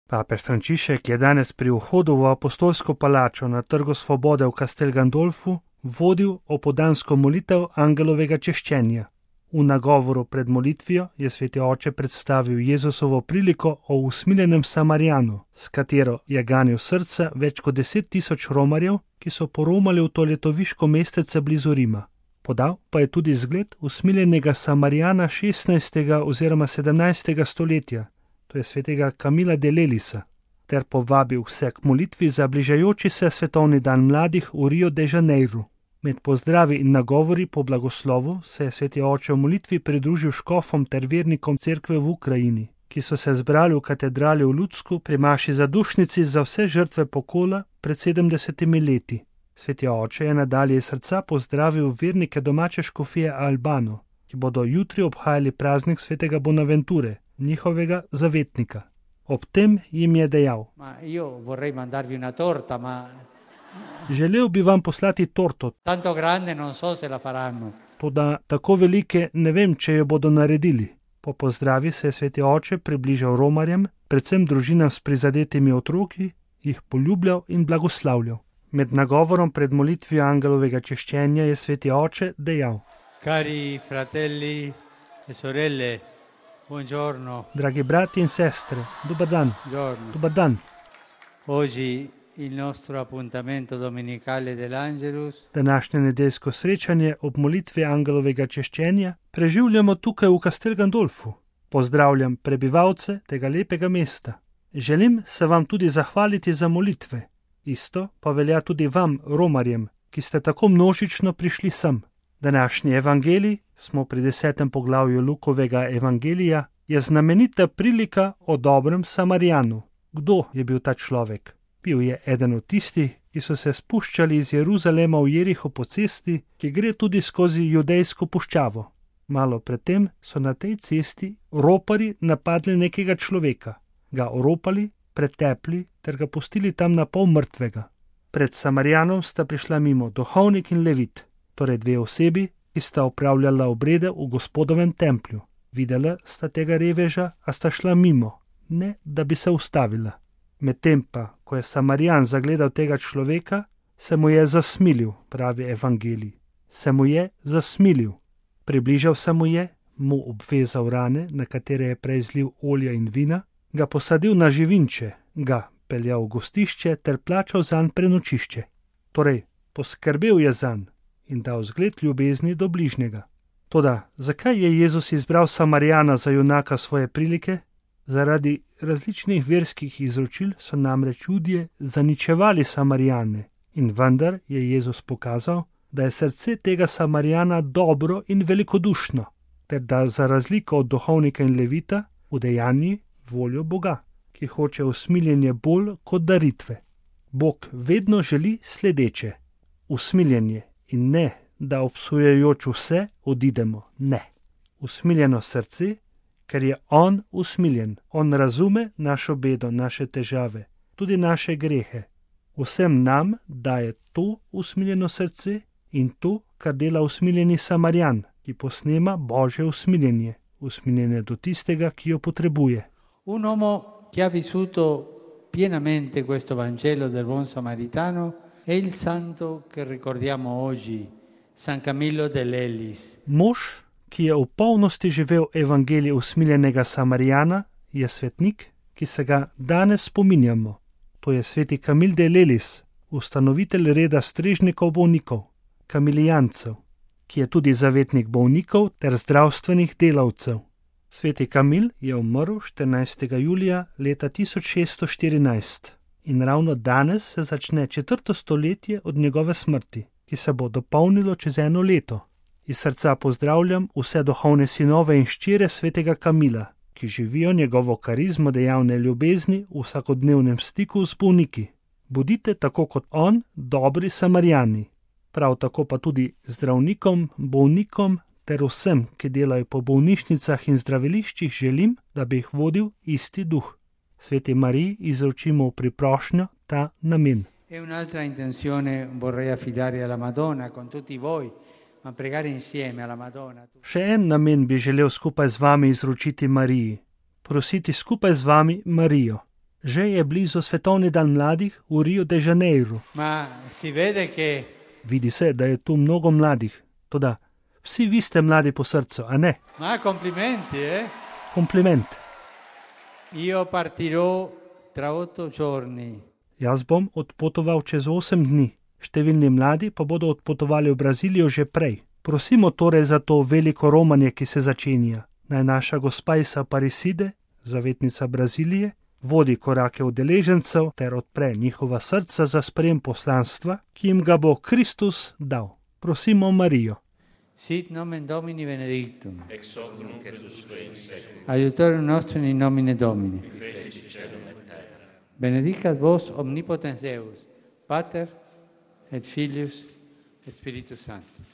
Papež Frančišek je danes pri vhodu v apostolsko palačo na Trgu svobode v Castel Gandolfu vodil opoldansko molitev angelovega češčenja. V nagovoru pred molitvijo je sveti oče predstavil Jezusovo priliko o usmiljenem Samarijanu, s katero je ganil srca več kot 10.000 romarjev, ki so poromali v to letoviško mestece blizu Rima. Podal pa je tudi zgled usmiljenega Samarijana 16. oziroma 17. stoletja, to je svetega Camila de Lelisa, ter povabil vse k molitvi za bližajoči se svetovni dan mladih v Rio de Janeiro. Med pozdravi in nagovori po blagoslovu se je sveti oče v molitvi pridružil škofom ter vernikom cerkve v Ukrajini, ki so se zbrali v katedrali v Ludsku pri maši zadušnici za vse žrtve pokola pred 70 leti. Sveti oče je nadalje iz srca pozdravil vernike domače škofije Albano, ki bodo jutri obhajali praznik svetega Bonaventure, njihovega zavetnika. Ob tem jim je dejal: Želel bi vam poslati torto, toda tako velike ne vem, če jo bodo naredili. Po pozdravi se je sveti oče približal romarjem, predvsem družinam s prizadetimi otroki, jih poljubljal in blagoslavljal. Med nagovorom pred molitvijo angelovega češčenja je sveti oče dejal: Cari fratelli e sorelle, buongiorno. Dragi brati in sestre, dober dan. Buongiorno. Dober dan. Oggi il nostro appuntamento domenicale dell'Angelus. Današnje nedeljsko srečanje ob molitvi angelovega češčenja preživljamo tukaj v Castel Gandolfu. Pozdravljam prebivalce tega lepega mesta. Želim se vam tudi zahvaliti za molitve. Isto pa velja tudi vam, romarjem, ki ste tako množično prišli sem. Današnji evangelij, smo pri 10. poglavju Lukovega evangelija, je znamenita prilika o dobrem Samarijanu. Kdo je bil ta človek? Bil je eden od tistih, ki so se spuščali iz Jeruzalema v Jeriho po cesti, ki gre tudi skozi judejsko puščavo. Malo predtem so na tej cesti roparji napadli nekega človeka, ga oropali, pretepli ter ga pustili tam na pol mrtvega. Pred Samarijanom sta prišla mimo duhovnik in levit, torej dve osebi, ki sta opravljala obrede v Gospodovem templju. Videla sta tega reveža, a sta šla mimo, ne da bi se ustavila. Medtem pa, ko je Samarijan zagledal tega človeka, se mu je zasmilil, pravi evangelij. Se mu je zasmilil. Približal se mu je, mu obvezal rane, na katere je prej zlil olja in vina, ga posadil na živinče, ga peljal v gostišče ter plačal zanj prenočišče. Torej, poskrbel je zanj in dal zgled ljubezni do bližnjega. Toda, zakaj je Jezus izbral Samarijana za junaka svoje prilike? Zaradi različnih verskih izročil so namreč Judje zaničevali Samarijane in vendar je Jezus pokazal, da je srce tega Samarijana dobro in velikodušno, ter da za razliko od duhovnika in levita udejanji voljo Boga, ki hoče usmiljenje bolj kot daritve. Bog vedno želi sledeče: usmiljenje in ne, da obsojajoč vse odidemo, ne. Usmiljeno srce, ker je on usmiljen. On razume našo bedo, naše težave, tudi naše grehe. Vsem nam daje to usmiljeno srce in to, kar dela usmiljeni Samarijan, ki posnema Božje usmiljenje, usmiljenje do tistega, ki jo potrebuje. Un uomo che ha vissuto pienamente questo Vangelo del buon samaritano è il santo che ricordiamo oggi, San Camillo de Lelis. Mož, ki je v polnosti živel evangelij usmiljenega Samarijana, je svetnik, ki se ga danes spominjamo. To je sveti Camil de Lelis, ustanovitelj reda strežnikov bolnikov, kamilijancev, ki je tudi zavetnik bolnikov ter zdravstvenih delavcev. Sveti Camil je umrl 14. julija leta 1614 in ravno danes se začne 4. stoletje od njegove smrti, ki se bo dopolnilo čez 1 leto. Iz srca pozdravljam vse duhovne sinove in hčere svetega Camila, ki živijo njegovo karizmo dejavne ljubezni v vsakodnevnem stiku z bolniki. Bodite tako kot on dobri Samarijani, prav tako pa tudi zdravnikom, bolnikom ter vsem, ki delajo po bolnišnicah in zdraviliščih, želim, da bi jih vodil isti duh. Sveti Mariji izročimo v priprošnjo ta namen. E un'altra intenzione vorrei affidare alla Madonna con tutti voi, ma pregare insieme alla Madonna. Še en namen bi želel skupaj z vami izročiti Mariji. Prositi skupaj z vami Marijo. Že je blizu svetovni dan mladih v Rio de Janeiro. Ma si vede che Vidi se, da je tu mnogo mladih. Toda vsi vi ste mladi po srcu, a ne? Ma complimenti, Kompliment. Io partirò tra 8 giorni. Jaz bom odpotoval čez 8 dni. Številni mladi pa bodo odpotovali v Brazilijo že prej. Prosimo torej za to veliko romanje, ki se začenja. Naj naša gospa iz Aparecide, zavetnica Brazilije, vodi korake udeležencev ter odpre njihova srca za sprejem poslanstva, ki jim ga bo Kristus dal. Prosimo Marijo. Sit nomen Domini benedictum. Ex hoc nunc et usque in seculum. Aiutorium nostrum in nomine Domini. Qui feci caelum et terra. Benedicat vos omnipotens Deus, Pater et Filius et Spiritus Sanctus.